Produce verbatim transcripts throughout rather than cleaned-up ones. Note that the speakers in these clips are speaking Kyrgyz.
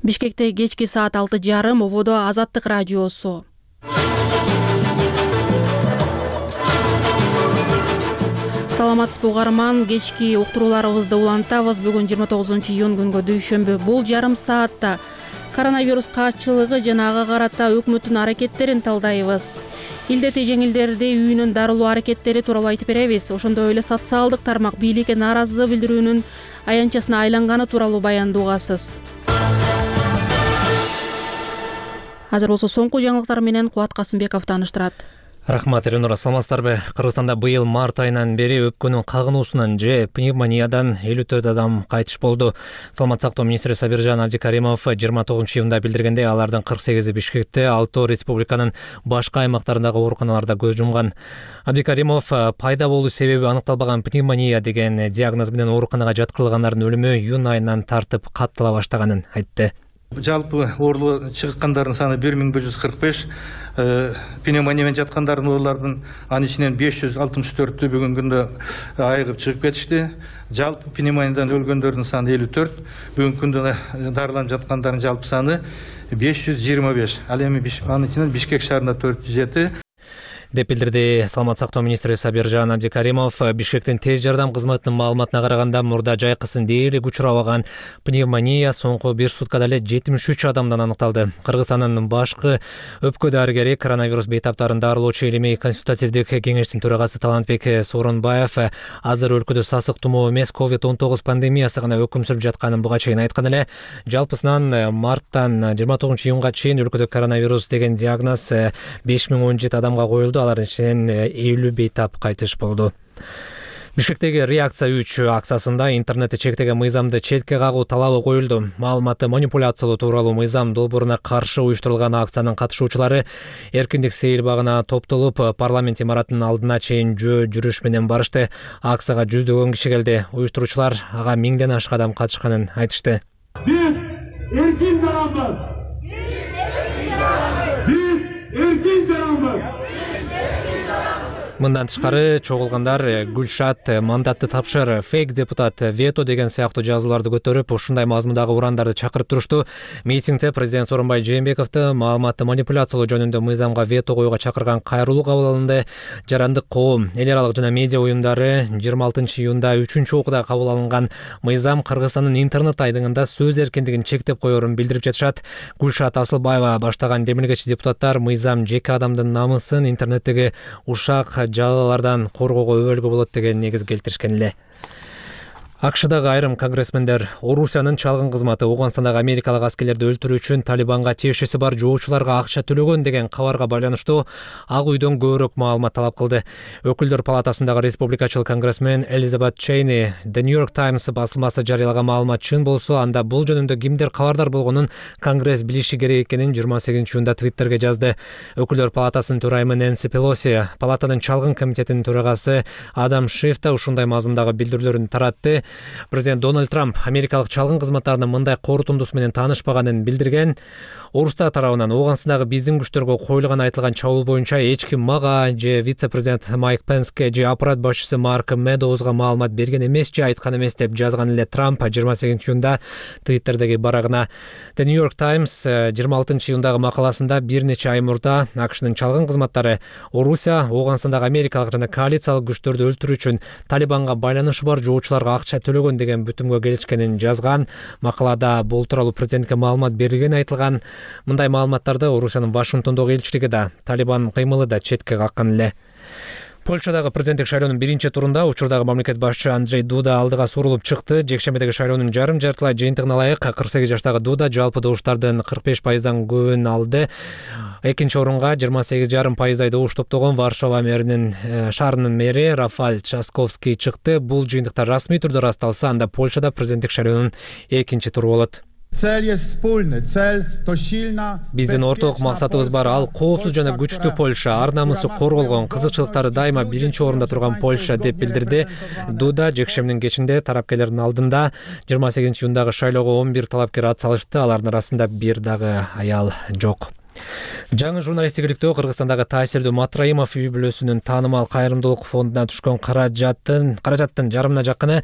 Бишкекте кечки саат алты жарым ободо Азаттык радиосу. Саламатсызбы угарман, кечки уктурууларыбызды улантабыз. Бүгүн жыйырма тогузунчу июнь күнгө дүйшөмбү. Бул жарым саатта коронавирус качылыгы жана ага карата өкмөттүн аракеттерин талдайбыз. Илдети жеңилдерди үйүнөн дарылоо аракеттери тууралуу айтып беребиз. Ошондой эле социалдык тармак бийликке нааразы билдирүүнүн аянтчасына айланганы тууралуу баянды угасыз. Азыр болсо соңку жаңылыктар менен Кубат Касымбеков тааныштырат. Рахмат, Элнура, саламатсыздарбы? Кыргызстанда быйыл март айынан бери өпкөнүн кагынуусунан же пневмониядан элүү төрт адам кайтыш болду. Саламат сактоо министри Сабиржан Абдикаримов жыйырма тогузунчу июнда билдиргендей, алардын кырк сегизи Бишкекте, алтоо республиканын башка аймактарындагы ооруканаларда көз жумган. Абдикаримов пайда болуу себеби аныкталбаган пневмония деген диагноз менен ооруканага жаткырылгандардын өлүмү июнь айынан тартып каттала баштаганын айтты. Жалпы оорулуу чыккандардын саны бир миң бир жүз кырк беш, пневмония менен жаткандардын оорулардын анын ичинен беш жүз алтымыш төртү бүгүнкү күндө айыгып чыгып кетишти. Жалпы пневмониядан өлгөндөрдүн саны элүү төрт, бүгүнкү күндө дарыланып жаткандардын жалпы саны беш жүз жыйырма беш. Ал эми анын ичинен Бишкек шаарында төрт жүз жети деп билдирди Саламат сактоо министри Сабиржан Абдикаримов. Бишкектин тез жардам кызматынын маалыматына караганда, мурда жайкысын дээрлик учурабаган пневмония соңку бир суткада эле жетимиш үч адамдан аныкталды. Кыргызстандын башкы өпкө дарыгери, коронавирус бейтаптарын дарылоочу Элемей консультативдик кеңештин төрагасы Талантбек Сооронбаев азыр өлкөдө сасык тумоо эмес, ковид он тогуз пандемиясы гана өкүм сүрүп жатканын буга чейин айткан эле. Жалпысынан марттан жыйырма тогузунчу июнга чейин өлкөдө коронавирус деген диагноз беш миң он жети адамга коюлду. Алардын ичинен элүү бейтап кайтыш болду. Бишкектеги реакция үч акциясында интернетти чектеген мыйзамды четке кагуу талабы коюлду. Маалыматты манипуляциялоо тууралуу мыйзам долбооруна каршы уюштурулган акциянын катышуучулары эркиндик сейил багына топтолуп, парламент имаратынын алдына чейин жөө жүрүш менен барышты. Акцияга жүздөгөн киши келди. Уюштуруучулар ага миңден ашык адам катышканын айтышты. Биз эркин жаранбыз. Биз эркин жаранбыз. Мындан тышкары чогулгандар Гүлшат мандатты тапшыр, фейк депутат, вето деген сыяктуу жазууларды көтөрүп, ушундай мазмундагы урандарды чакырып турушту. Митингде президент Сооронбай Жээнбековду маалыматты манипуляциялоо жөнүндө мыйзамга вето коюуга чакырган кайрылуу кабыл алынды. Жарандык коом, эл аралык жана медиа уюмдары жыйырма алтынчы июнда үчүнчү окууда кабыл алынган мыйзам Кыргызстандын интернет айдыңында сөз эркиндигин чектеп коерун билдирип жатышат. Гүлшат Асылбаева баштаган демилгечи депутаттар мыйзам жеке адамдын намысын интернеттеги ушак жалалардан коргоого өбөлгө болот деген негиз келтиришкен эле. АКШдагы айрым конгрессмендер Орусиянын чалгын кызматы Ооганстандагы америкалык аскерлерди өлтүрүү үчүн Талибанга тиешеси бар жоочуларга акча төлөгөн деген кабарга байланыштуу Ак үйдөн көбүрөөк маалымат талап кылды. Өкүлдөр палатасындагы республикачыл конгрессмен Элизабет Чейни The New York Times басылмасы жарыялаган маалымат чын болсо, анда бул жөнүндө кимдер кабардар болгонун Конгресс билиши керек экенин жыйырма сегизинчи июнда Твиттерге жазды. Өкүлдөр палатасынын төрайымы Нэнси Пелоси, палатанын чалгын комитетинин төрагасы Адам Шиф да ушундай мазмундагы билдирүүлөрүн таратты. Президент Дональд Трамп америкалык чалгын кызматтарынын мындай корутундусу менен таанышпаганын билдирген. Орустар тарабынан Ооганстандагы биздин күчтөргө коюлган айтылган чабуул боюнча эч ким мага же вице-президент Майк Пенске же аппарат башчысы Марк Медоузга маалымат берген эмес же айткан эмес деп жазган эле Трамп жыйырма сегизинчи июнда Твиттердеги барагына. The New York Times жыйырма алтынчы июндагы макаласында бир нече ай мурда АКШнын чалгын кызматтары Орусия Ооганстандагы америкалык жана коалициялык күчтөрдү өлтүрүү үчүн Талибанга байланышы бар жоочуларга акча төлөгөн деген бүтүмгө келишкенин жазган. Макалада бул тууралуу президентке маалымат берилгени айтылган. Мындай маалыматтарды Орусиянын Вашингтондогу элчилиги да, Талибан кыймылы да четке каккан эле. Польшадагы президенттик шайлоонун биринчи турунда учурдагы мамлекет башчы Анджей Дуда алдыга сурулуп чыкты. Жекшембидеги шайлоонун жарым жартылай жыйынтыгына ылайык кырк сегиз жаштагы Дуда жалпы добуштардын кырк беш пайыздан көбүн алды. Экинчи орунга жыйырма сегиз жарым пайыздай добуш топтогон Варшава мэринин шаарынын мэри Рафаль Часковский чыкты. Бул жыйынтыктар расмий түрдө ырасталса, анда Польшада президенттик шайлоонун экинчи туру болот. Биздин орток максатыбыз бар, ал коопсуз жана күчтүү Польша, ар намысы корголгон, кызыкчылыктары дайыма биринчи орунда турган Польша деп билдирди. Дуда жекшембинин кечинде тарапкерлердин алдында жыйырма сегизинчи июндагы шайлоого он бир талапкер ат салышты. Алардын арасында бир дагы аял жок. Жаңы журналисттик иликтөө Кыргызстандагы таасирдүү Матраимов үй бүлөсүнүн таанымал кайрымдуулук фондуна түшкөн каражаттын каражаттын жарымына жакыны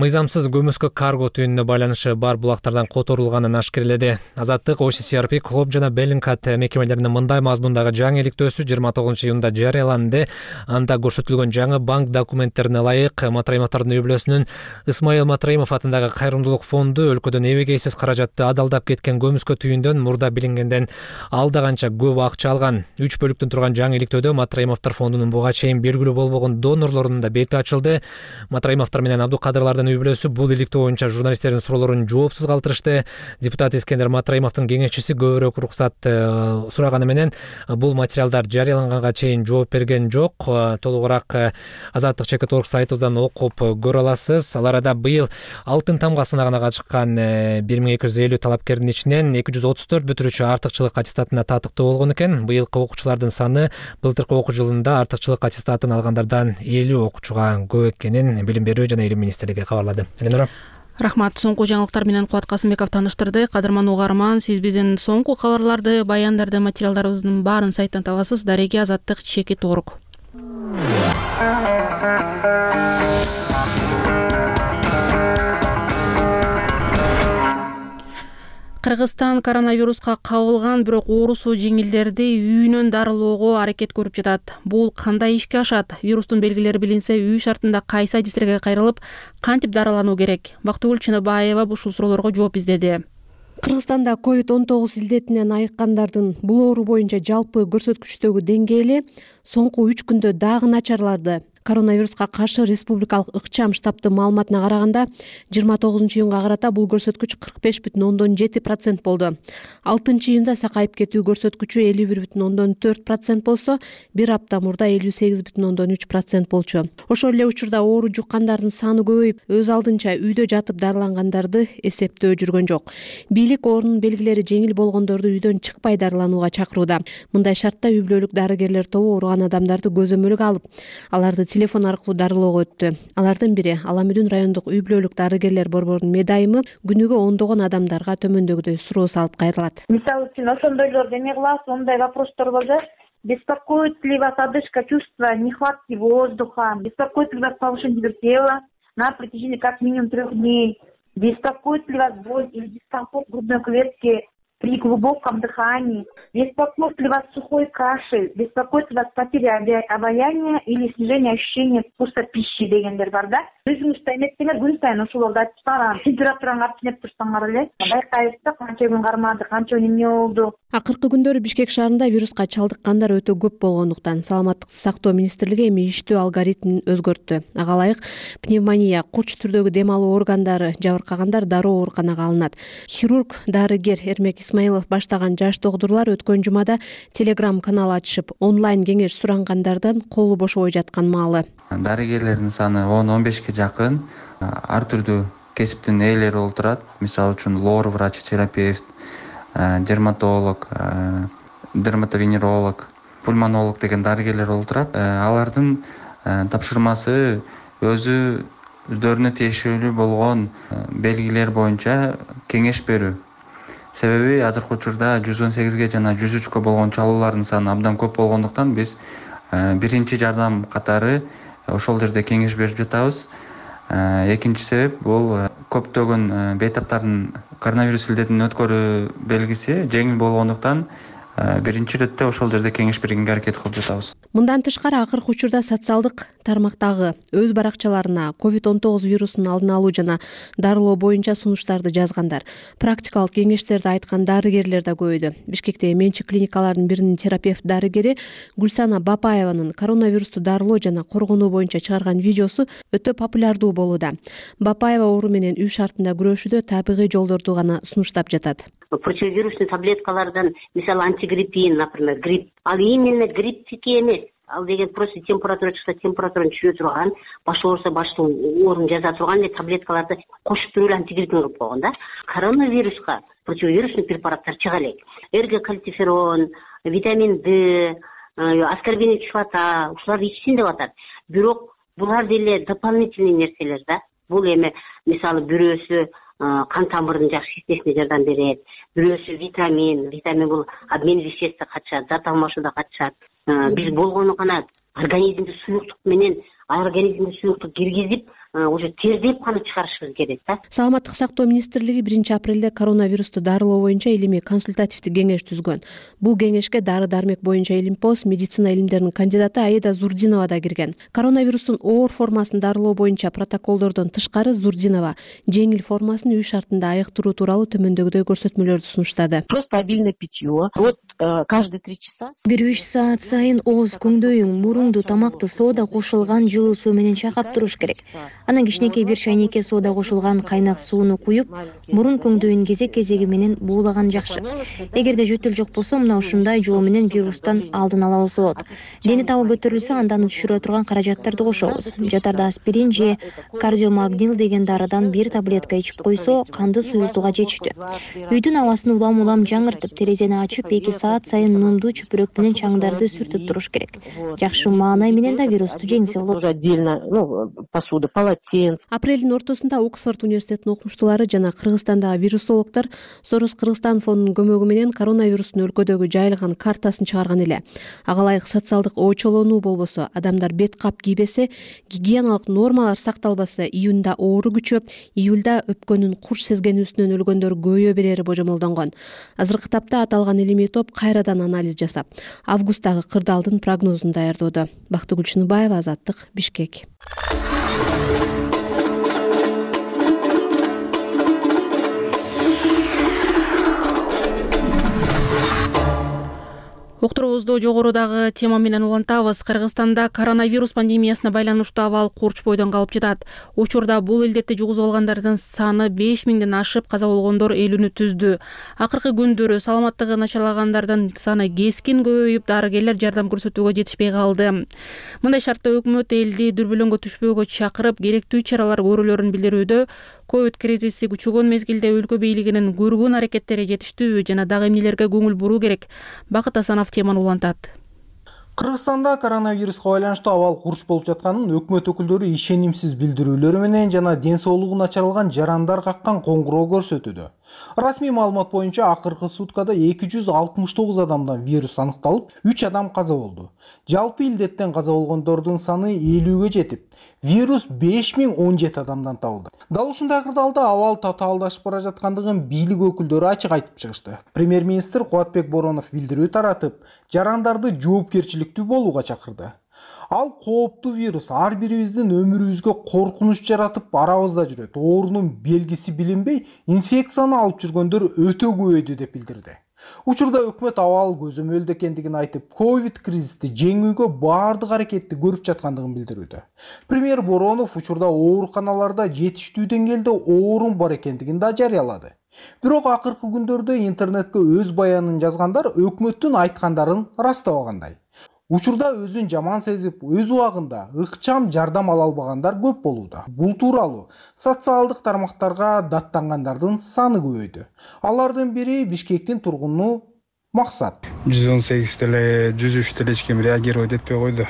мыйзамсыз көмүскө карго түйүнүнө байланышы бар булактардан которулганын ашкерледи. Азаттык, о си си ар пи, Клоп жана Беллинкат мекемелеринин мындай мазмундагы жаңы иликтөөсү жыйырма тогузунчу июнда жарыяланды. Анда көрсөтүлгөн жаңы банк документтерине ылайык Матраимовдордун үй бүлөсүнүн Исмаил Матраимов атындагы кайрымдуулук фонду өлкөдөн эбегейсиз каражатты адалдап кеткен көмүскө түйүндөн мурда билингенден алда канча көп акча алган. Үч бөлүктөн турган жаңы иликтөөдө Матраимовдор фондунун буга чейин белгилүү болбогон донорлорунун да бети ачылды. Матраимовдор менен Абдукадырлардын үй бүлөсү бул иликтөө боюнча журналисттердин суроолорун жоопсуз калтырышты. Депутат Искендер Матраимовдун кеңешчиси көбүрөөк уруксат сураганы менен бул материалдар жарыяланганга чейин жооп берген жок. Толугураак Азаттык чекит точка орг сайтыбыздан окуп көрө аласыз. Ал арада быйыл алтын тамга сынагына катышкан бир миң эки жүз элүү талапкердин ичинен эки жүз отуз төрт бүтүрүүчү артыкчылык аттестатына татыктуу болгон экен. Быйылкы окуучулардын саны былтыркы окуу жылында артыкчылык аттестатын алгандардан элүү окуучуга көп экенин Билим берүү жана Илим министрлиги кабарлады. Эленора. Рахмат. Соңку жаңылыктар менен Кубат Касымбеков таныштырды. Кадырман угарман, сиз биздин соңку кабарларды, баяндарды, материалдарыбыздын баарын сайттан табасыз. Дареги Азаттык чекит точка орг. Кыргызстан коронавируска кабылган, бирок оорусу жеңилдерди үйүнөн дарылоого аракет көрүп жатат. Бул кандай ишке ашат? Вирустун белгилери билинсе, үй шартында кайсы адистерге кайрылып, кантип дарылануу керек? Бактыгүл Чыныбаева ушул суроолорго жооп издеди. Кыргызстанда ковид он тогуз илдетинен айыккандардын бул оору боюнча жалпы көрсөткүчтөгү деңгээли соңку үч күндө дагы начарларды. Коронавируска каршы республикалык ыкчам штабтын маалыматына караганда, жыйырма тогузунчу июнга карата бул көрсөткүч кырк беш бүтүн ондон жети процент болду. алтынчы июнда сакайып кетүү көрсөткүчү элүү бир бүтүн ондон төрт процент болсо, бир апта мурда элүү сегиз бүтүн ондон үч процент болчу. Ошол эле учурда оору жуккандардын саны көбөйүп, өз алдынча үйдө жатып дарылангандарды эсептөө жүргөн жок. Бийлик оорунун белгилери жеңил болгондорду үйдөн чыкпай дарыланууга чакырууда. Мындай шартта үй бүлөлүк дарыгерлер тобу ооруган адамдарды көзөмөлгө алып, аларды телефон аркылуу дарылоого өттү. Алардын бири Аламүдүн райондук үй бүлөлүк дарыгерлер борборунун медайымы күнүгө ондогон адамдарга төмөндөгүдөй суроо салып кайрылат. Мисалы үчүн ошондойлор эме кылабыз, ондай вопростор болду. Беспокоит ли вас одышка, чувство нехватки воздуха? Беспокоит ли вас повышение температуры на протяжении как минимум трех дней? Беспокоит ли вас боль или дискомфорт грудной клетки при глубоком дыхании? Беспокоит ли вас сухой кашель? Беспокоит ли вас потеря обоняния или снижение ощущения вкуса пищи дегендер бар да? Өзүңүз эметсеңер күн сайын ошолорду айтып барам. Температураңы артып турсаңар эле байкайбыз да, канча күн кармады, канча эмне болду. Акыркы күндөрү Бишкек шаарында вируска чалдыккандар өтө көп болгондуктан саламаттыкты сактоо министрлиги эми иштөө алгоритмин өзгөрттү. Ага ылайык пневмония, курч түрдөгү дем алуу органдары жабыркагандар дароо ооруканага алынат. Хирург, дарыгер Эрмек Исмаилов баштаган жаш докторлор өткөн жумада телеграм канал ачышып, онлайн кеңеш сурангандардан колу бошобой жаткан маалы. Дарыгерлердин саны он он бешке жакын, ар түрдүү кесиптин ээлери олтурат. Мисалы үчүн лор врач, терапевт, дерматолог, дерматовенеролог, пульмонолог деген дарыгерлер олтурат. Алардын тапшырмасы өзү өздөрүнө тиешелүү болгон белгилер боюнча кеңеш берүү. Себеби азыркы учурда жүз он сегизге жана жүз үчкө болгон чалуулардын саны абдан көп болгондуктан биз биринчи жардам катары ошол жерде кеңеш берип жатабыз. Экинчи себеп бул көптөгөн бейтаптардын коронавирус илдетин өткөрүү белгиси жеңил болгондуктан биринчи иретте ошол жерде кеңеш бергенге аракет кылып жатабыз. Мындан тышкары акыркы учурда социалдык тармактагы өз баракчаларына ковид он тогуз вирусун алдын алуу жана дарылоо боюнча сунуштарды жазгандар. Практикалык кеңештерди айткан дарыгерлер да көбөйдү. Бишкекте менчик клиникаларынын биринин терапевт дарыгери Гүлсана Бапаеванын коронавирусту дарылоо жана коргонуу боюнча чыгарган видеосу өтө популярдуу болууда. Бапаева оору менен үй шартында күрөшүүдө табигый жолдорду гана сунуштап жатат. Противовирусный таблеткалардан, мисалы антигриппин, например, грипп. Ал именно грипптики эмес. Ал деген просто температура чыкса температураны түшүрө турган, баш ооруса баштын оорун жаза турган эле таблеткаларды кошуп туруп эле антигриппин кылып койгон да. Коронавируска противовирусный препараттар чыга элек. Эргокальциферон, витамин Д, аскорбиновая кислота, ушуларды ичсин деп атат. Бирок булар деле дополнительный нерселер да. Бул эми мисалы бирөөсү кан тамырдын жакшы иштешине жардам берет. Бирөөсү витамин, витамин бул обмен веществосуна катышат, зат алмашууда катышат. Биз болгону гана организмди суюктук менен организмге суюктук киргизип, уже тездеп каны чыгарышыбыз керек да. Саламаттык сактоо министрлиги биринчи апрелде коронавирусту дарылоо боюнча илимий консультативдик кеңеш түзгөн. Бул кеңешке дары-дармек боюнча илимпоз, медицина илимдеринин кандидаты Аида Зурдинова да кирген. Коронавирустун оор формасын дарылоо боюнча протоколдордон тышкары Зурдинова жеңил формасын үй шартында айыктыруу тууралуу төмөндөгүдөй көрсөтмөлөрдү сунуштады. Просто обильное питье. Вот каждые три часа. бир үч саат сайын ооз, көңдөйүң, муруңду тамакты соода кошулган жылуу суу менен чайкап туруш керек. Анан кичинекей бир чайнекке соода кошулган кайнак сууну куюп, мурун көңдөйүн кезек-кезеги менен буулаган жакшы. Эгерде жөтөл жок болсо, мына ушундай жол менен вирустан алдын алабыз болот. Дени табы көтөрүлсө, андан түшүрө турган каражаттарды кошобуз. Жатарда аспирин же кардиомагнил деген дарыдан бир таблетка ичип койсо, канды суюлтууга жетиштүү. Үйдүн абасын улам-улам жаңыртып, терезени ачып, эки саат сайын нунду чүпүрөк менен чаңдарды сүртүп туруш керек. Жакшы маанай менен да вирусту жеңсе болот. Отдельно, ну, посуда, полотенце. Апрелдин ортосунда Оксфорд университетинин окумуштуулары жана Кыргызстандагы вирусологдор Сорос Кыргызстан фондунун көмөгү менен коронавирустун өлкөдөгү жайылган картасын чыгарган эле. Ага ылайык социалдык очолонуу болбосо, адамдар бет кап кийбесе, гигиеналык нормалар сакталбаса, июнда оору күчөп, июлда өпкөнүн курч сезгенүүсүнөн өлгөндөр көбөйө берери божомолдонгон. Азыркы тапта аталган илимий топ кайрадан анализ жасап, августтагы кырдаалдын прогнозун даярдоодо. Бактыгүл Чыныбаева, Азаттык, Бишкек. Уктуруубузду жогорудагы тема менен улантабыз. Кыргызстанда коронавирус пандемиясына байланыштуу абал курч бойдон калып жатат. Учурда бул илдетти жугузуп алгандардын саны беш миңден ашып, каза болгондор элүүнү түздү. Акыркы күндөрү саламаттыгы начарлагандардын саны кескин көбөйүп, дарыгерлер жардам көрсөтүүгө жетишпей калды. Мындай шартта өкмөт элди дүрбөлөңгө түшпөөгө чакырып, керектүү чаралар көрүлөрүн билдирүүдө. Ковид кризиси күчөгөн мезгилде өлкө бийлигинин көргөн аракеттери жетиштүү жана дагы эмнелерге көңүл буруу керек? Бакыт Асанов теманы улантат. Кыргызстанда коронавируска байланыштуу абал курч болуп жатканын өкмөт өкүлдөрү ишенимсиз билдирүүлөрү менен жана ден соолугу начарланган жарандар каккан коңгуроо көрсөтүүдө. Расмий маалымат боюнча акыркы суткада эки жүз алтымыш тогуз адамдан вирус аныкталып, үч адам каза болду. Жалпы илдеттен каза болгондордун саны элүүгө жетип, вирус беш миң он жети адамдан табылды. Дал ушундай кырдаалда абал татаалдашып бара жаткандыгын бийлик өкүлдөрү ачык айтып чыгышты. Премьер-министр Кубатбек Боронов билдирүү таратып, жарандарды жоопкерчиликтүү болууга чакырды. Ал кооптуу вирус ар бирибиздин өмүрүбүзгө коркунуч жаратып арабызда жүрөт. Оорунун белгиси билинбей, инфекцияны алып жүргөндөр өтө көбөйдү деп билдирди. Учурда өкмөт абал көзөмөлдө экендигин айтып, ковид кризисти жеңүүгө баардык аракетти көрүп жаткандыгын билдирүүдө. Премьер Боронов учурда ооруканаларда жетиштүү деңгээлде оорун бар экендигин да жарыялады. Бирок акыркы күндөрдө интернетке өз баянын жазгандар өкмөттүн айткандарын ырастабагандай. Учурда өзүн жаман сезип, өз убагында ыкчам жардам ала албагандар көп болууда. Бул тууралуу социалдык тармактарга даттангандардын саны көбөйдү. Алардын бири Бишкектин тургуну Максат. жүз он сегиз теле, жүз үч теле эч ким реагировать этпей койду.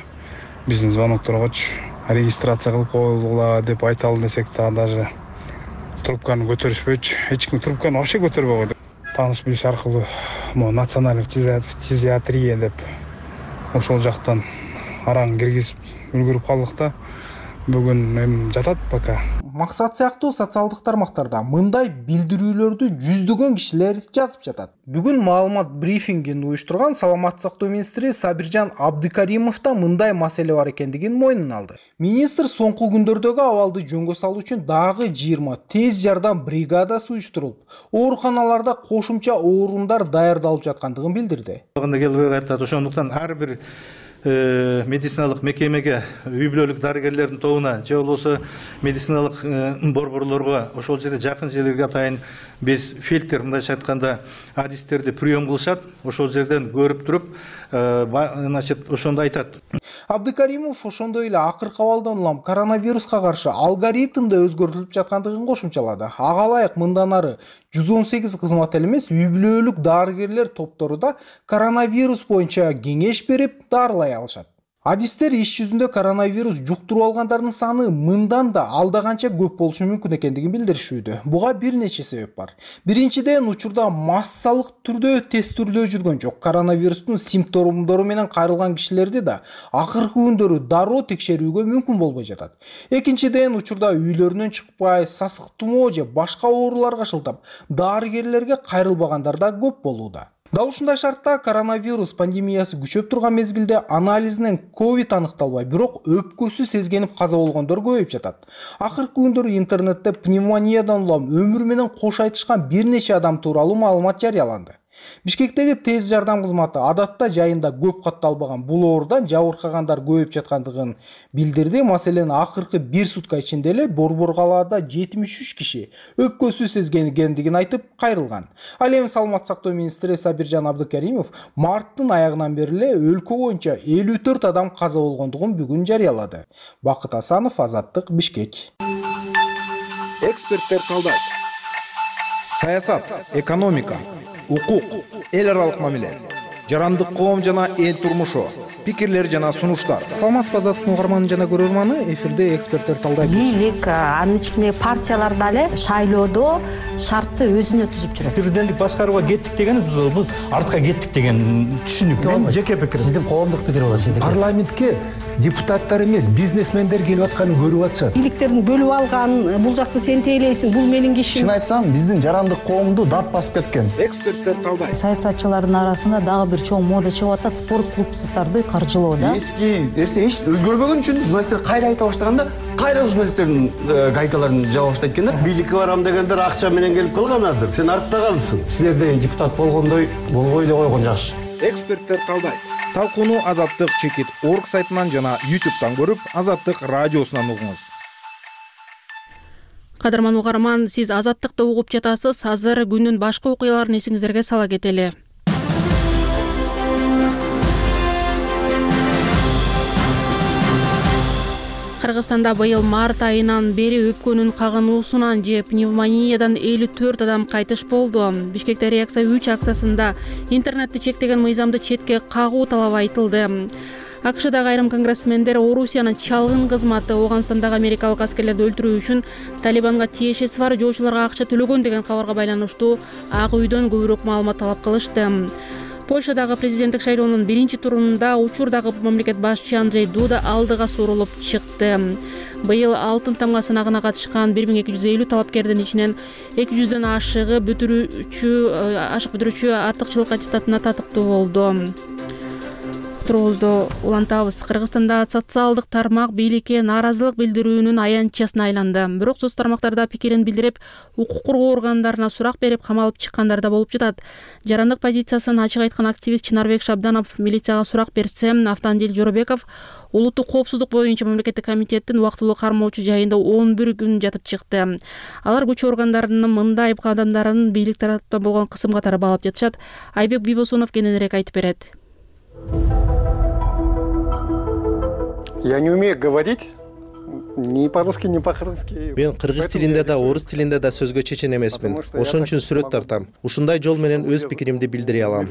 Биздин звонокторгочу регистрация кылып коюлгула деп айталы десек да даже трубканы көтөрүшпөйчү. Эч ким трубканы вообще көтөрбөй койду. Тааныш билиш аркылуу национальный фтизиатрия деп ошол жактан араң киргизип үлгүрүп калдык да. Бүгүн эми жатат пока. Максат сыяктуу социалдык тармактарда мындай билдирүүлөрдү жүздөгөн кишилер жазып жатат. Бүгүн маалымат брифингин уюштурган Саламаттык сактоо министри Сабиржан Абдыкаримов да мындай маселе бар экендигин мойнуна алды. Министр соңку күндөрдөгү абалды жөнгө салуу үчүн дагы жыйырма тез жардам бригадасы уюштурулуп, ооруканаларда кошумча орундар даярдалып жаткандыгын билдирди. Ошондуктан ар бир медициналык мекемеге, үй бүлөлүк дарыгерлердин тобуна же болбосо медициналык борборлорго ошол жерде жакын жерлерге атайын биз фильтр, мындайча айтканда, адистерди прием кылышат. Ошол жерден көрүп туруп, значит, ошондо айтат. Абдыкаримов ошондой эле акыркы абалдан улам коронавируска каршы алгоритмде өзгөртүлүп жаткандыгын кошумчалады. Ага ылайык мындан ары жүз он сегиз кызмат эле эмес, үй бүлөлүк дарыгерлер топтору да коронавирус боюнча кеңеш берип, дарылай алышат. Адистер иш жүзүндө коронавирус жуктуруп алгандардын саны мындан да алда канча көп болушу мүмкүн экендигин билдиришүүдө. Буга бир нече себеп бар. Биринчиден, учурда массалык түрдө тестирдөө жүргөн жок. Коронавирустун симптомдору менен кайрылган кишилерди да акыркы күндөрү дароо текшерүүгө мүмкүн болбой жатат. Экинчиден, учурда үйлөрүнөн чыкпай, сасык тумоо же башка ооруларга шылтап, дарыгерлерге кайрылбагандар да көп болууда. Дал ушундай шартта коронавирус пандемиясы күчөп турган мезгилде анализинен ковид аныкталбай, бирок өпкөсү сезгенип каза болгондор көбөйүп жатат. Акыркы күндөрү интернетте пневмониядан улам өмүр менен кош айтышкан бир нече адам тууралуу маалымат жарыяланды. Бишкектеги тез жардам кызматы адатта жайында көп катталбаган бул оорудан жабыркагандар көбөйүп жаткандыгын билдирди. Маселен, акыркы бир сутка ичинде эле Борбор калаада жетимиш үч киши өпкөсү сезгендигин айтып кайрылган. Ал эми Саламаттык сактоо министри Сабиржан Абдыкеримов марттын аягынан бери эле өлкө боюнча элүү төрт адам каза болгондугун бүгүн жарыялады. Бакыт Асанов, Азаттык, Бишкек. Эксперттер талдайт. Саясат, экономика, укук, эл аралык мамиле, жарандык коом жана эл турмушу, пикирлер жана сунуштар. Саламатсызбы, Азаттыктын угарманы жана көрөрманы, эфирде эксперттер талдайт. Бийлик, анын ичинде партиялар дагы шайлоодо шартты өзүнө түзүп жүрөт. Президенттик башкарууга кеттик деген биз артка кеттик деген түшүнүк. Мен жеке пикирим. Сиздин коомдук пикир болот, сиздики. Парламентке депутаттар эмес, бизнесмендер келип атканын көрүп атышат. Бийликтерин бөлүп алган, бул жакты сен тейлейсиң, бул менин кишим. Чын айтсам, биздин жарандык коомду дат басып кеткен. Эксперттер талдайт. Саясатчылардын арасында дагы бир чоң мода чыгып атат, спорт клубдарды каржылоо да. Эски нерсе эч өзгөрбөгөн үчүн журналисттер кайра айта баштаганда, кайра журналисттердин гайкаларын жаба баштайт экен да. Бийликке барам дегендер акча менен келип калганадыр. Сен артта калдың. Силерде депутат болгондой болбой эле койгон жакшы. Эксперттер талдайт. Талкууну Азаттык чекит орг сайтынан жана ютубтан көрүп, Азаттык радиосунан угуңуз. Кадырман угарман, сиз Азаттыкты угуп жатасыз. Азыр күндүн башка окуяларын эсиңиздерге сала кетели. Кыргызстанда быйыл март айынан бери өпкөнүн кагынуусунан же пневмониядан элүү төрт адам кайтыш болду. Бишкекте реакция үч акциясында интернетти чектеген мыйзамды четке кагуу талабы айтылды. АКШдагы айрым конгрессмендер Орусиянын чалгын кызматы Ооганстандагы америкалык аскерлерди өлтүрүү үчүн Талибанга тиешеси бар жоочуларга акча төлөгөн деген кабарга байланыштуу Ак үйдөн көбүрөөк маалымат талап кылышты. Польшадагы президенттик шайлоонун биринчи турунда учурдагы мамлекет башчы Анджей Дуда алдыга сурулуп чыкты. Быйыл алтын тамга сынагына катышкан бир миң эки жүз элүү талапкердин ичинен эки жүздөн ашыгы бүтүрүүчү ашык бүтүрүүчү артыкчылык аттестатына татыктуу болду. Турубузду улантабыз. Кыргызстанда социалдык тармак бийликке нааразылык билдирүүнүн аянтчасына айланды. Бирок соц тармактарда пикирин билдирип, укук коргоо органдарына сурак берип камалып чыккандар да болуп жатат. Жарандык позициясын ачык айткан активист Чынарбек Шабданов милицияга сурак берсе, Автандил Жоробеков улуттук коопсуздук боюнча мамлекеттик комитеттин убактылуу кармоочу жайында он бир күн жатып чыкты. Алар күч органдарынын мындай кадамдарын бийлик тараптан болгон кысым катары баалап жатышат. Айбек Бибосунов кененирээк айтып берет. Я не умею говорить ни по-русски, ни по-кыргызски. Мен кыргыз тилинде да, орус тилинде да сөзгө чечен эмесмин. Ошон үчүн сүрөт тартам. Ушундай жол менен өз пикиримди билдире алам.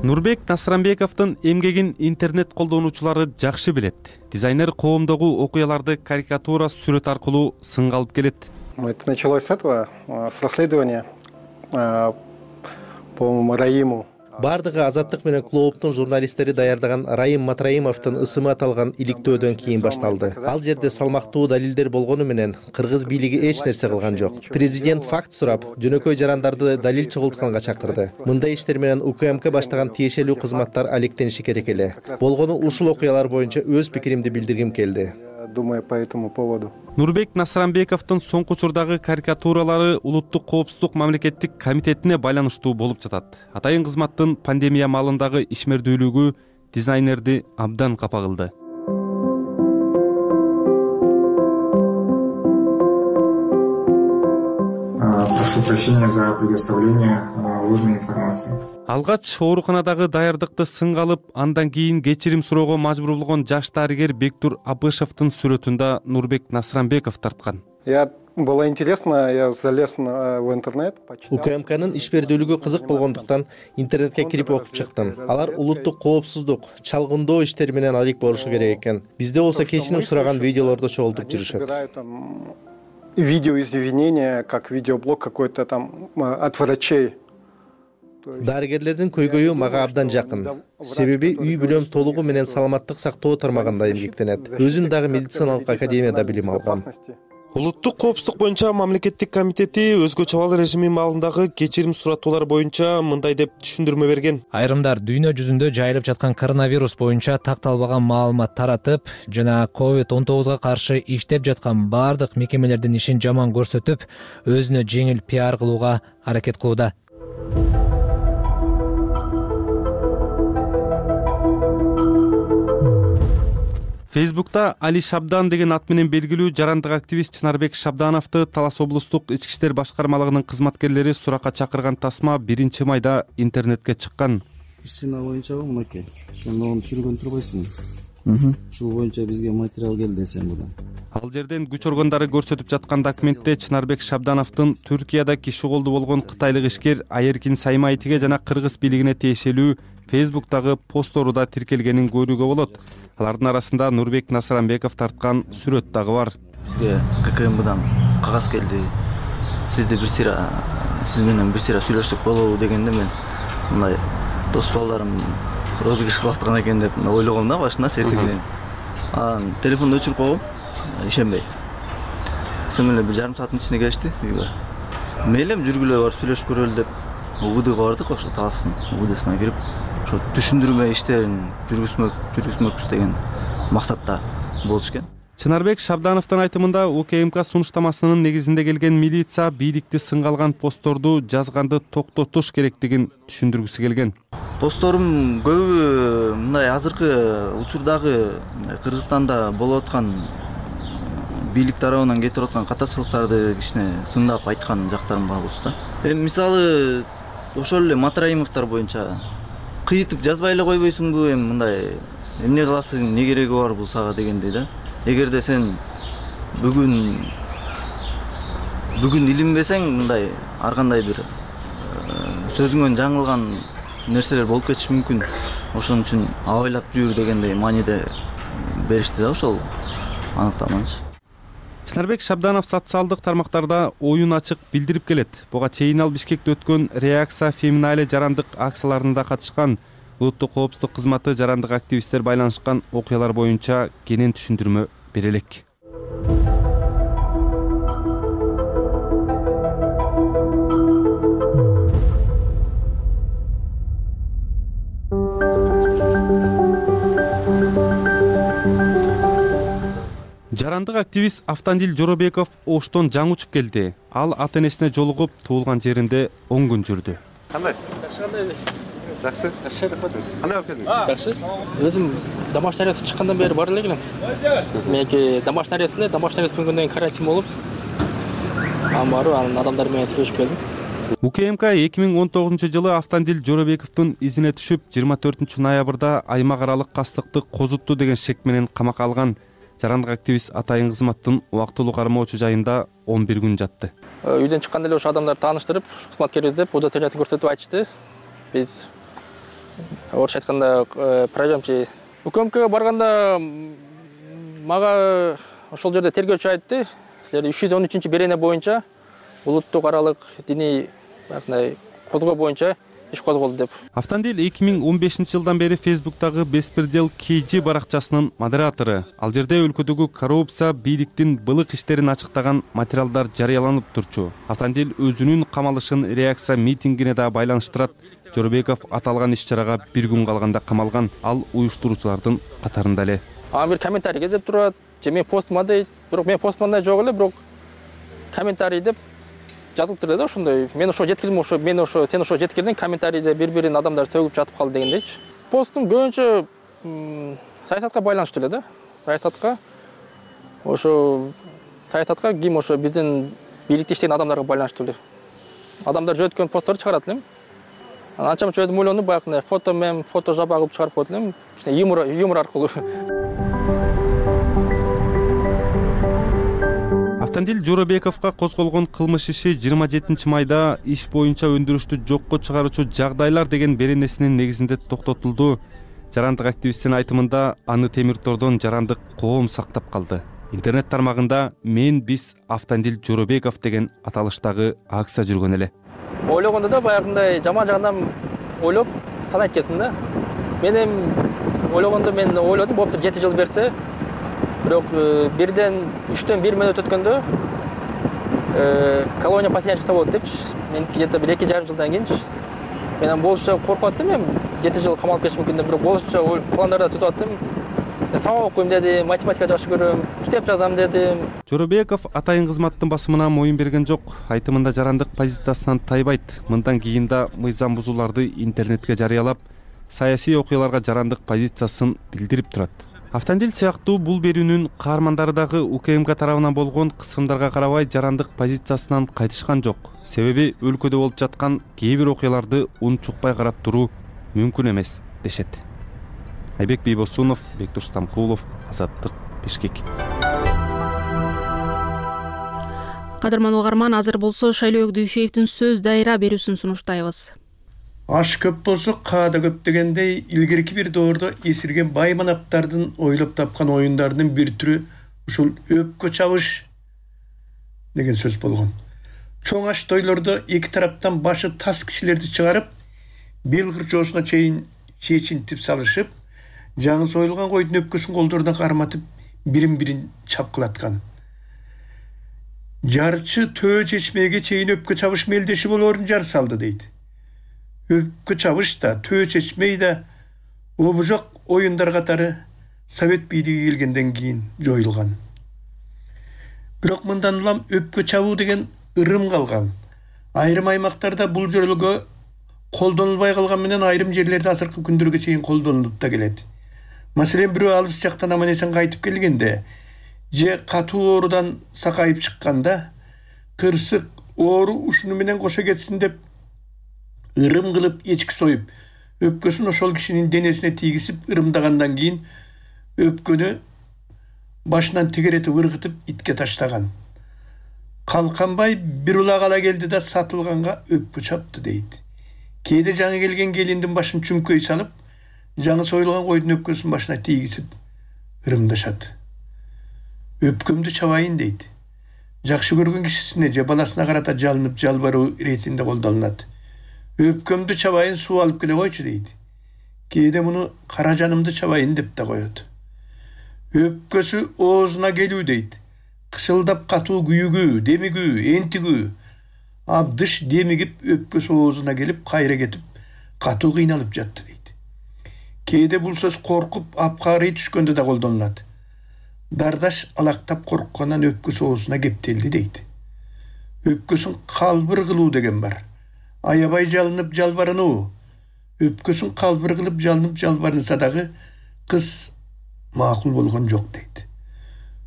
Нурбек Насранбековдун эмгегин интернет колдонуучулары жакшы билет. Дизайнер коомдогу окуяларды карикатура сүрөт аркылуу сынга алып келет. Это началось с этого, с расследования по Раиму. Бардыгы Азаттык менен клооптун журналисттери даярдаган Раим Матраимовдун ысымы аталган иликтөөдөн кийин башталды. Ал жерде салмактуу далилдер болгону менен кыргыз бийлиги эч нерсе кылган жок. Президент факт сурап, жөнөкөй жарандарды далил чогултканга чакырды. Мындай иштер менен УКМК баштаган тиешелүү кызматтар алектениши керек эле. Болгону ушул окуялар боюнча өз пикиримди билдиргим келди. Думаю по этому поводу. Нурбек Насранбековдун соңку учурдагы карикатуралары улуттук коопсуздук мамлекеттик комитетине байланыштуу болуп жатат. Атайын кызматтын пандемия маалындагы ишмердүүлүгү дизайнерди абдан капа кылды. Прошу прощения за предоставление ложной информации. Алгач ооруканадагы даярдыкты сынга алып, андан кийин кечирим суроого мажбур болгон жаш дарыгер Бектур Абышевдин сүрөтүндө Нурбек Насранбеков тарткан. Я было интересно, я залез в интернет, почитал. УКМКнын ишмердүүлүгү кызык болгондуктан интернетке кирип окуп чыктым. Алар улуттук коопсуздук, чалгындоо иштери менен алек болушу керек экен. Бизде болсо кечирим сураган видеолорду чогултуп жүрүшөт. Видео извинения, как видеоблог какой-то там от врачей. Дарыгерлердин көйгөйү мага абдан жакын. Себеби үй бүлөм толугу менен саламаттык сактоо тармагында эмгектенет. Өзүм дагы медициналык академияда билим алгам. Улуттук коопсуздук боюнча мамлекеттик комитети өзгөчө абал режими маалындагы кечирим суратуулар боюнча мындай деп түшүндүрмө берген. Айрымдар дүйнө жүзүндө жайылып жаткан коронавирус боюнча такталбаган маалымат таратып жана ковид он тогузга каршы иштеп жаткан бардык мекемелердин ишин жаман көрсөтүп, өзүнө жеңил пиар кылууга аракет кылууда. Фейсбукта Али Шабдан деген ат менен белгилүү жарандык активист Чынарбек Шабдановду Талас облустук ички иштер башкармалыгынын кызматкерлери суракка чакырган тасма биринчи майда интернетке чыккан. Ишчина боюнча мынакей, сен ону түшүргөн турбайсыңбы? Ушул боюнча бизге материал келди сен будан. Ал жерден күч органдары көрсөтүп жаткан документте Чынарбек Шабдановдун Түркияда киши колду болгон кытайлык ишкер Айеркин Саймайтиге жана кыргыз бийлигине тиешелүү Фейсбуктагы посттору да тиркелгенин көрүүгө болот. Алардын арасында Нурбек Насыранбеков тарткан сүрөт дагы бар. Бизге ККМБдан кагаз келди. Сизди бир сыйра, сиз менен бир сыйра сүйлөшсөк болобу дегенде мен мындай дос балдарым розыгрыш кылып аткан экен деп ойлогом да башында сертигинен. Анан телефонду өчүрүп койгом, ишенбей. Сен менен бир жарым сааттын ичинде келишти үйгө. Мейлем жүргүлө барып сүйлөшүп көрөлү деп УГДга бардык, ошо Таластын УГДсына кирип, ошо түшүндүрмө иштерин жүргүзмөк, жүргүзмөкпүз деген максатта болчу экен. Чынарбек Шабдановдун айтымында УКМК сунуштамасынын негизинде келген милиция бийликти сынга алган постторду жазганды токтотуш керектигин түшүндүргүсү келген. Постторум көбү мындай азыркы учурдагы Кыргызстанда болуп аткан бийлик тарабынан кетип аткан катачылыктарды кичине сындап айткан жактарым бар болчу да. Эми мисалы ошол эле Матраимовдор боюнча кыйытып жазбай эле койбойсуңбу, эми мындай эмне кыласың, эмне кереги бар бул сага дегендей да. Эгерде сен бүгүн бүгүн илинбесең, мындай ар кандай бир сөзүңөн жаңылган нерселер болуп кетиши мүмкүн. Ошон үчүн абайлап жүр дегендей мааниде беришти да ошол аныктаманы. Чынарбек Шабданов социалдык тармактарда оюн ачык билдирип келет. Буга чейин ал Бишкекте өткөн Реакция Феминале жарандык акцияларында катышкан. Улуттук коопсуздук кызматы жарандык активисттер байланышкан окуялар боюнча кенен түшүндүрмө бере элек. Жарандык активист Автандил Жоробеков Оштон жаңы учуп келди. Ал ата энесине жолугуп, туулган жеринде он күн жүрдү. Кандайсыз? Жакшы. Жакшы. Кандай болуп келдиңиз? Жакшы. Өзүм домашний арест чыккандан бери бар эле. Меники домашний арестте, домашний арест күнгөндөн кийин карантин болуп, анан барып, анан адамдар менен сүйлөшүп келдим. УКМК эки миң он тогузунчу жылы Автандил Жоробековдун изине түшүп, жыйырма төртүнчү ноябрда аймак аралык кастыкты козутту деген шек менен камакка алган. Жарандык активист Атайын кызматтын убактылуу кармоочу жайында он бир күн жатты. Үйдөн чыкканда эле ошо адамдарды тааныштырып, кызматкерибиз деп удостоверениятын көрсөтүп айтышты. Биз орусча айтканда пройдёмчи. УКМКга барганда мага ошол жерде тергөөчү айтты, силер үч жүз он үчүнчү берене боюнча улуттук аралык диний козгоо боюнча иш козголду деп. Автандил эки миң он бешинчи жылдан бери Фейсбуктагы Беспредел Кейджи баракчасынын модератору. Ал жерде өлкөдөгү коррупция, бийликтин былык иштерин ачыктаган материалдар жарыяланып турчу. Автандил өзүнүн камалышын Реакция митингине да байланыштырат. Жоробеков аталган иш-чарага бир күн калганда камалган. Ал уюштуруучулардын катарында эле. Ага бир комментарий келип турат. Же мен постума дейт, бирок мен постумда жок эле, бирок комментарий деп жазылып турду да ошондой. Мен ошо жеткирдим, ошо мен ошо сен ошо жеткирдиң, комментарийде бири-бирин адамдар сөгүп жатып калды дегендейчи. Постум көбүнчө саясатка байланыштуу эле да. Саясатка ошо саясатка ким ошо биздин бийликти иштеген адамдарга байланыштуу эле. Адамдар жөөткөн посттор чыгарат элем. Анан анча-мынча өзүм ойлондум, баягы фото мем, фото жаба кылып чыгарып койдум элем. Кичине юмор юмор аркылуу. Автандил Жоробековго козголгон кылмыш иши жыйырма жетинчи майда иш боюнча өндүрүштү жокко чыгаруучу жагдайлар деген беренесинин негизинде токтотулду. Жарандык активисттин айтымында аны темир тордон жарандык коом сактап калды. Интернет тармагында мен биз Автандил Жоробеков деген аталыштагы акция жүргөн эле. Ойлогондо да баягындай жаман жагынан ойлоп санайт экенсиң да. Мен эми ойлогондо мен ойлодум, болуптур жети жыл берсе, бирок бирден үчтөн бир мүнөт өткөндө колония поселения чыкса болот депчи. Мен где-то бир эки жарым жылдан кийинчи мен болушча коркуп аттым, эми жети жыл камалып кетишим мүмкүн деп, бирок болушча пландарда түзүп аттым. Сабак окуйм дедим, математика жакшы көрөм, китеп жазам дедим. Жоробеков атайын кызматтын басымына моюн берген жок. Айтымында жарандык позициясынан тайбайт. Мындан кийин да мыйзам бузууларды интернетке жарыялап, саясий окуяларга жарандык позициясын билдирип турат. Автандил сыяктуу бул берүүнүн каармандары дагы УКМК тарабынан болгон кысымдарга карабай жарандык позициясынан кайтышкан жок. Себеби өлкөдө болуп жаткан кээ бир окуяларды унчукпай карап туруу мүмкүн эмес дешет. Айбек Бейбосунов, Бектур Стамкулов, Азаттык, Бишкек. Кадырман угарман, азыр болсо Шайлообек Дүйшеевдин сөз дайра берүүсүн сунуштайбыз. Аш көп болсо каада көп дегендей, илгерки бир доордо эсирген бай манаптардын ойлоп тапкан оюндарынын бир түрү ушул өпкө чабыш деген сөз болгон. Чоң аш тойлордо эки тараптан башы тас кишилерди чыгарып, бел кырчоосуна чейин чечинтип салышып, жаңы союлган койдун өпкөсүн колдоруна карматып, бирин-бирин чапкылаткан. Жарчы төө чечмеге чейин өпкө чабыш мелдеши болоорун жар салды дейт. Өпкө чабыш да, төө чечмей да обужок оюндар катары Совет бийлиги келгенден кийин жоюлган. Бирок мындан улам өпкө чабуу деген ырым калган. Айрым аймактарда бул жөрөлгө колдонулбай калган менен айрым жерлерде азыркы күндөргө чейин колдонулуп да келет. Маселен, бирөө алыс жактан аман-эсен кайтып келгенде, же катуу оорудан сакайып чыкканда, кырсык оору ушуну менен кошо кетсин деп ырым кылып эчки союп, өпкөсүн ошол кишинин денесине тийгизип ырымдагандан кийин өпкөнү башынан тегеретип ыргытып итке таштаган. Калканбай бир улак ала келди да сатылганга өпкө чапты дейт. Кээде жаңы келген келиндин башын чүмкөй салып, жаңы союлган койдун өпкөсүн башына тийгизип ырымдашат. Өпкөмдү чабайын дейт. Жакшы көргөн кишисине же баласына карата жалынып жалбаруу иретинде колдонулат. Өпкөмдү чабайын, суу алып келе койчу дейт. Кээде муну кара жанымды чабайын деп да коет. Өпкөсү оозуна келүү дейт. Кышылдап катуу күйүгүү, демигүү, энтигүү. Абдыш демигип өпкөсү оозуна келип, кайра кетип, катуу кыйналып жатты дейт. Кээде бул сөз коркуп, апкарый түшкөндө да колдонулат. Дардаш алактап корккондан өпкөсү оозуна кептелди дейт. Өпкөсүн калбыр кылуу деген бар. Аябай жалынып жалбарынуу. Өпкөсүн калбыр кылып жалынып жалбарынса дагы кыз макул болгон жок дейт.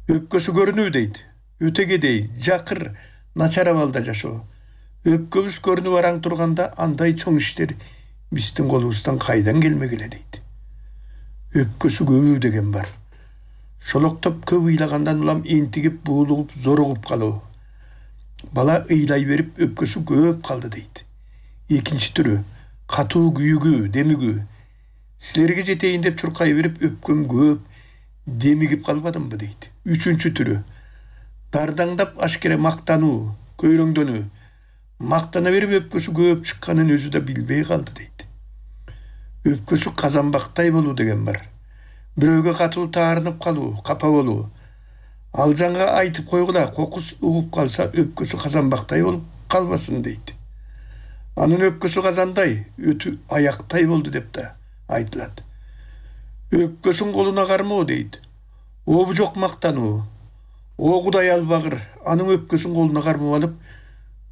Өпкөсү көрүнүү дейт. Өтөгедей, жакыр, начар абалда жашоо. Өпкөбүз көрүнүп араң турганда андай чоң иштер биздин колубуздан кайдан келмегиле дейт. Өпкөсү көбүү деген бар. Шолоктоп көп ыйлагандан улам энтигип, буулугуп, зоругуп калуу. Бала ыйлай берип өпкөсү көп калды дейт. Экинчи түрү катуу күйүгүү, демигүү. Силерге жетейин деп чуркай берип өпкөм көп, демигип калбадымбы дейт. Үчүнчү түрү дардаңдап ашкере мактануу, көйрөңдөнүү. Мактана берип өпкөсү көп чыкканын өзү да билбей калды дейт. Өпкөсү казанбактай болуу деген бар. Бирөөгө катуу таарынып калуу, капа болуу. Ал жаңга айтып койгула, кокус угуп калса өпкөсү казанбактай болуп калбасын дейт. Анын өпкөсү казандай, өтү аяктай болду деп да айтылат. Өпкөсүн колуна кармоо дейт. Обу жок мактануу. О Кудай албагыр, анын өпкөсүн колуна кармап алып,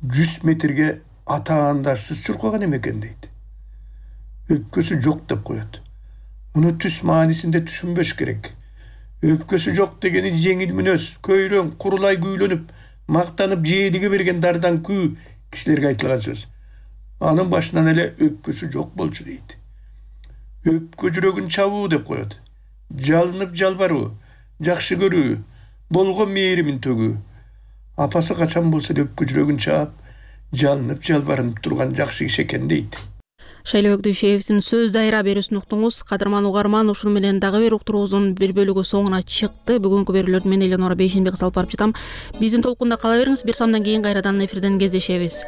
жүз метрге атаандарсыз чуркаган эмекен дейт. Өпкөсү жок деп коет. Муну түс маанисинде түшүнбөш керек. Өпкөсү жок дегени жеңил мүнөз, көйрөң, курулай күүлөнүп, мактанып жээлиге берген дардан күү кишилерге айтылган сөз. Анын башынан эле өпкөсү жок болчу дейт. Өпкө жүрөгүн чабуу деп коет. Жалынып жалбаруу, жакшы көрүү, болгон мээримин төгүү. апасы качан болсо да өпкө жүрөгүн чаап жалынып жалбарынып турган жакшы киши экен дейт. Шайлообек Дүйшеевдин сөз дайра берүүсүн уктуңуз. Кадырман угарман, ушуну менен дагы бир уктуруубуздун бир бөлүгү соңуна чыкты. Бүгүнкү берүүлөрдү мен Элеонора Бейшенбеков салып барып жатам. Биздин толкунда кала бериңиз. Бир самдан кийин кайрадан эфирден кездешебиз.